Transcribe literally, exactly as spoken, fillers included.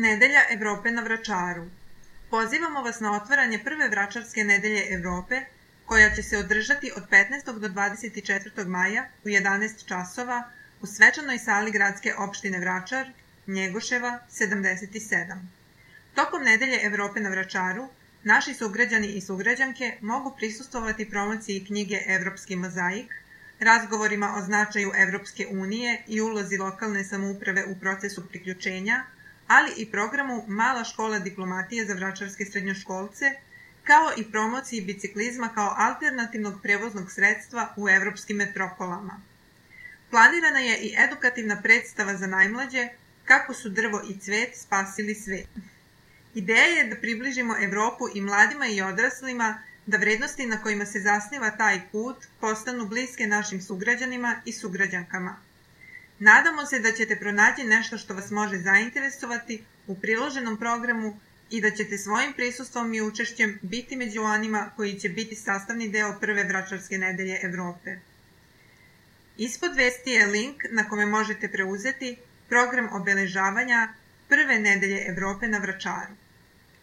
Nedelja Evrope na Vračaru. Pozivamo vas na otvaranje prve Vračarske nedelje Evrope, koja će se održati od petnaestog do dvadeset četvrtog maja u jedanaest časova u svečanoj sali gradske opštine Vračar, Njegoševa sedamdeset sedam. Tokom Nedelje Evrope na Vračaru, naši sugrađani i sugrađanke mogu prisustvovati promociji knjige Evropski mozaik, razgovorima o značaju Evropske unije i ulozi lokalne samouprave u procesu priključenja, ali i programu Mala škola diplomatije za vračarske srednjoškolce, kao i promociji biciklizma kao alternativnog prevoznog sredstva u evropskim metropolama. Planirana je i edukativna predstava za najmlađe Kako su drvo i cvet spasili svet. Ideja je da približimo Evropu i mladima i odraslima, da vrednosti na kojima se zasniva taj put postanu bliske našim sugrađanima i sugrađankama. Nadamo se da ćete pronaći nešto što vas može zainteresovati u priloženom programu i da ćete svojim prisustvom i učešćem biti među onima koji će biti sastavni deo prve Vračarske nedelje Evrope. Ispod vesti je link na kome možete preuzeti program obeležavanja prve nedelje Evrope na Vračaru.